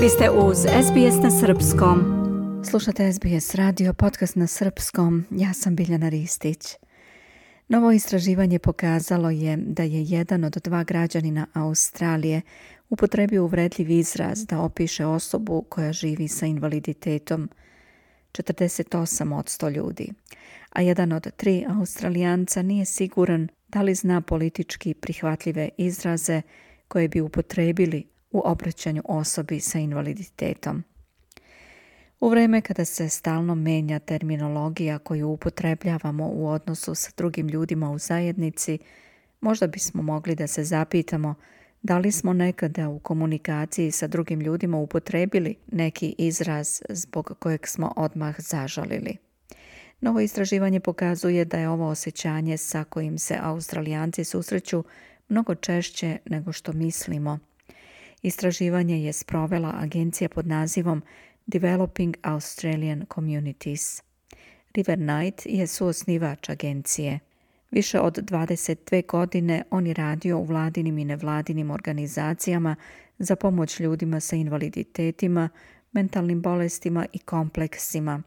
Vi ste uz SBS na srpskom. Slušate SBS radio, podcast na srpskom. Ja sam Biljana Ristić. Novo istraživanje pokazalo je da je jedan od 2 građanina Australije upotrebio uvredljiv izraz da opiše osobu koja živi sa invaliditetom. 48% ljudi. A jedan od 3 Australijanca nije siguran da li zna politički prihvatljive izraze koje bi upotrebili u obraćanju osobi sa invaliditetom. U vrijeme kada se stalno menja terminologija koju upotrebljavamo u odnosu sa drugim ljudima u zajednici, možda bismo mogli da se zapitamo da li smo nekada u komunikaciji sa drugim ljudima upotrebili neki izraz zbog kojeg smo odmah zažalili. Novo istraživanje pokazuje da je ovo osjećanje sa kojim se Australijanci susreću mnogo češće nego što mislimo. Istraživanje je sprovela agencija pod nazivom Developing Australian Communities. River Knight je suosnivač agencije. Više od 22 godine on je radio u vladinim i nevladinim organizacijama za pomoć ljudima sa invaliditetima, mentalnim bolestima i kompleksima.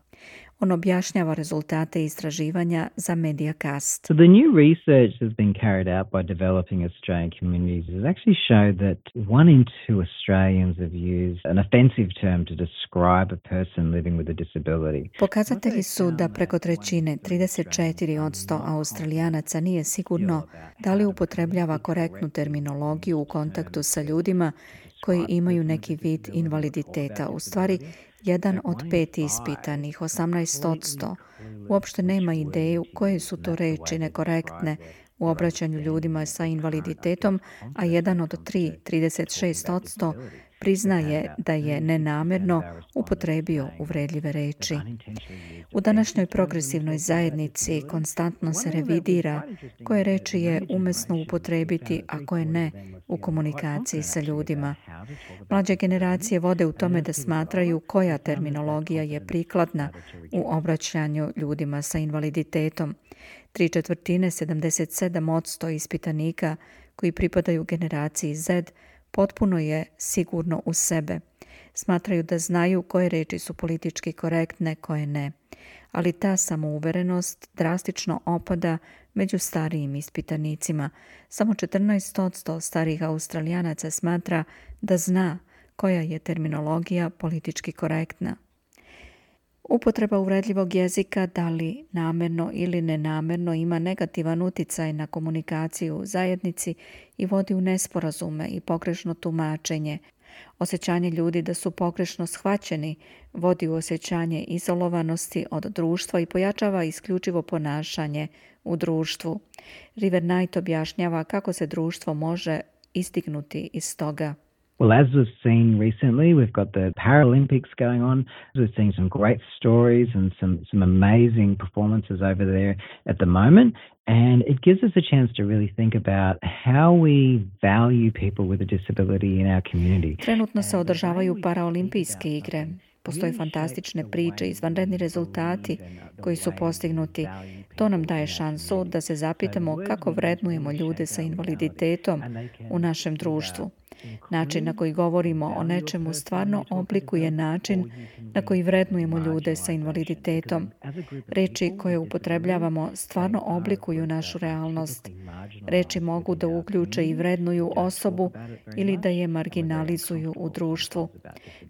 On objašnjava rezultate istraživanja za Mediacast. So the new research that's been carried out by Developing Australian Communities has actually showed that 1 in 2 Australians have used an offensive term to describe a person living with a disability. Pokazatelji su da preko trećine, 34% Australijanaca nije sigurno da li upotrebljava korektnu terminologiju u kontaktu sa ljudima koji imaju neki vid invaliditeta. U stvari, 1 od 5 ispitanih, 18%, uopšte nema ideju koje su to reči nekorektne u obraćanju ljudima sa invaliditetom, a 1 od 3, 36%, priznaje da je nenamjerno upotrebio uvredljive reči. U današnjoj progresivnoj zajednici konstantno se revidira koje reči je umesno upotrebiti, a koje ne u komunikaciji sa ljudima. Mlađe generacije vode u tome da smatraju koja terminologija je prikladna u obraćanju ljudima sa invaliditetom. 3/4, 77% ispitanika koji pripadaju generaciji Z potpuno je sigurno u sebe. Smatraju da znaju koje reči su politički korektne, koje ne. Ali ta samouverenost drastično opada među starijim ispitanicima. Samo 14% starijih Australijanaca smatra da zna koja je terminologija politički korektna. Upotreba uvredljivog jezika, da li namjerno ili nenamjerno, ima negativan utjecaj na komunikaciju u zajednici i vodi u nesporazume i pogrešno tumačenje. Osjećanje ljudi da su pogrešno shvaćeni vodi u osjećanje izolovanosti od društva i pojačava isključivo ponašanje u društvu. River Knight objašnjava kako se društvo može istignuti iz toga. Well, as we've seen recently, we've got the Paralympics going on. We're seeing some great stories and some amazing performances over there at the moment. And it gives us a chance to really think about how we value people with a disability in our community. Trenutno se održavaju paraolimpijske igre. Postoje fantastične priče, izvanredni rezultati koji su postignuti. To nam daje šansu da se zapitamo kako vrednujemo ljude sa invaliditetom u našem društvu. Način na koji govorimo o nečemu stvarno oblikuje način na koji vrednujemo ljude sa invaliditetom. Reči koje upotrebljavamo stvarno oblikuju našu realnost. Reči mogu da uključe i vrednuju osobu ili da je marginalizuju u društvu.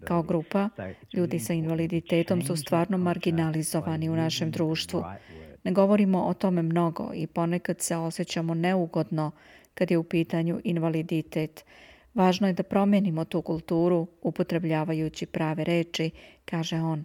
Kao grupa, ljudi sa invaliditetom su stvarno marginalizovani u našem društvu. Ne govorimo o tome mnogo i ponekad se osjećamo neugodno kad je u pitanju invaliditet. Važno je da promijenimo tu kulturu upotrebljavajući prave reči, kaže on.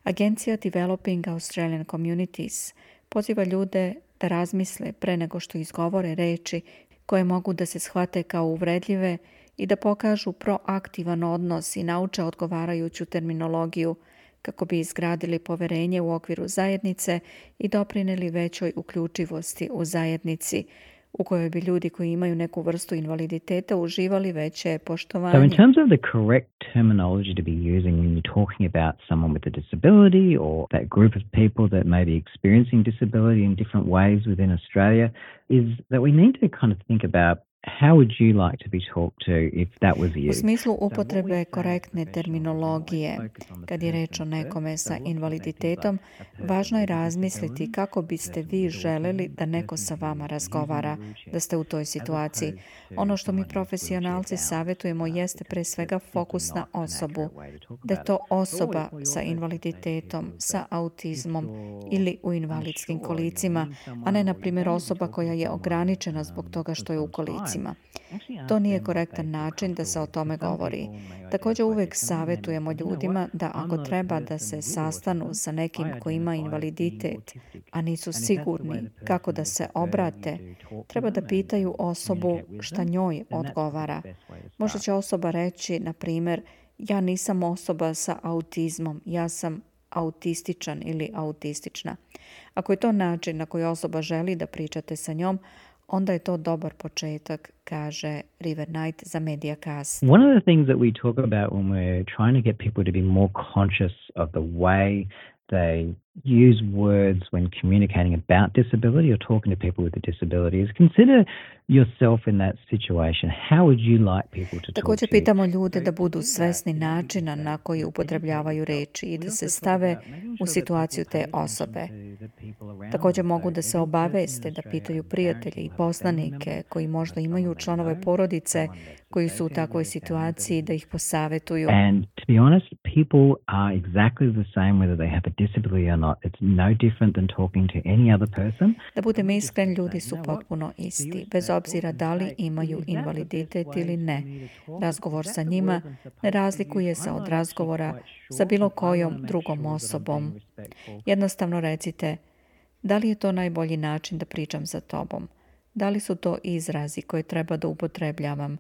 Agencija Developing Australian Communities poziva ljude da razmisle pre nego što izgovore reči koje mogu da se shvate kao uvredljive i da pokažu proaktivan odnos i nauče odgovarajuću terminologiju kako bi izgradili poverenje u okviru zajednice i doprinijeli većoj uključivosti u zajednici, u kojoj bi ljudi koji imaju neku vrstu invaliditeta uživali veće poštovanje. So in terms of the correct terminology to be using when you're talking about someone with a disability or that group of people that may be experiencing disability in different ways within Australia is that we need to kind of think about how would you like to be talked to if that was you? U smislu upotrebe korektne terminologije, kad je reč o nekome sa invaliditetom, važno je razmisliti kako biste vi želeli da neko sa vama razgovara, da ste u toj situaciji. Ono što mi profesionalci savjetujemo jeste pre svega fokus na osobu, da je to osoba sa invaliditetom, sa autizmom ili u invalidskim kolicima, a ne, na primjer, osoba koja je ograničena zbog toga što je u kolicima. To nije korektan način da se o tome govori. Također uvijek savjetujemo ljudima da ako treba da se sastanu sa nekim koji ima invaliditet, a nisu sigurni kako da se obrate, treba da pitaju osobu šta njoj odgovara. Možda će osoba reći, na primjer, ja nisam osoba sa autizmom, ja sam autističan ili autistična. Ako je to način na koji osoba želi da pričate sa njom, onda je to dobar početak, kaže River Knight za Mediacast. One of the things that we talk about when we're trying to get people to be more conscious of the way they use words when communicating about disability or talking to people with a disability is consider yourself in that situation. How would you like people to talk to you? Također pitamo ljude da budu svesni načina na koji upotrebljavaju reči i da se stave u situaciju te osobe. Također mogu da se obaveste, da pitaju prijatelje i poznanike koji možda imaju članove porodice koji su u takvoj situaciji, da ih posavetuju. And to be honest, people are exactly the same whether they have a disability or not. It's no different than talking to any other person. Da budem iskren, ljudi su potpuno isti, bez obzira da li imaju invaliditet ili ne. Razgovor sa njima ne razlikuje se od razgovora sa bilo kojom drugom osobom. Jednostavno recite, da li je to najbolji način da pričam sa tobom? Da li su to izrazi koje treba da upotrebljavam?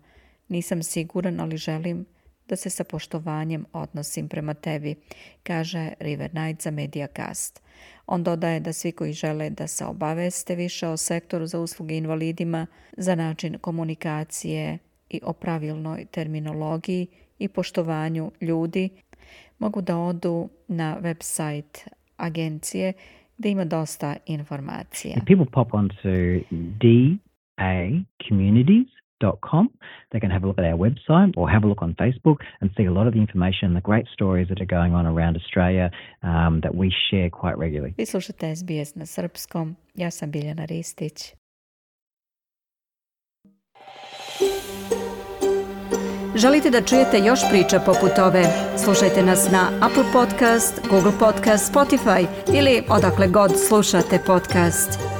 Nisam siguran, ali želim da se sa poštovanjem odnosim prema tebi, kaže River Knight za Mediacast. On dodaje da svi koji žele da se obaveste više o sektoru za usluge invalidima, za način komunikacije i o pravilnoj terminologiji i poštovanju ljudi, mogu da odu na website agencije gdje ima dosta informacija. People pop onto dacommunities.com. They can have a look at our website or have a look on Facebook and see a lot of the information and the great stories that are going on around Australia that we share quite regularly. Vi slušate SBS na srpskom. Ja sam Biljana Ristić. Želite da čujete još priča poput ove? Slušajte nas na Apple Podcast, Google Podcast, Spotify ili odakle god slušate podcast.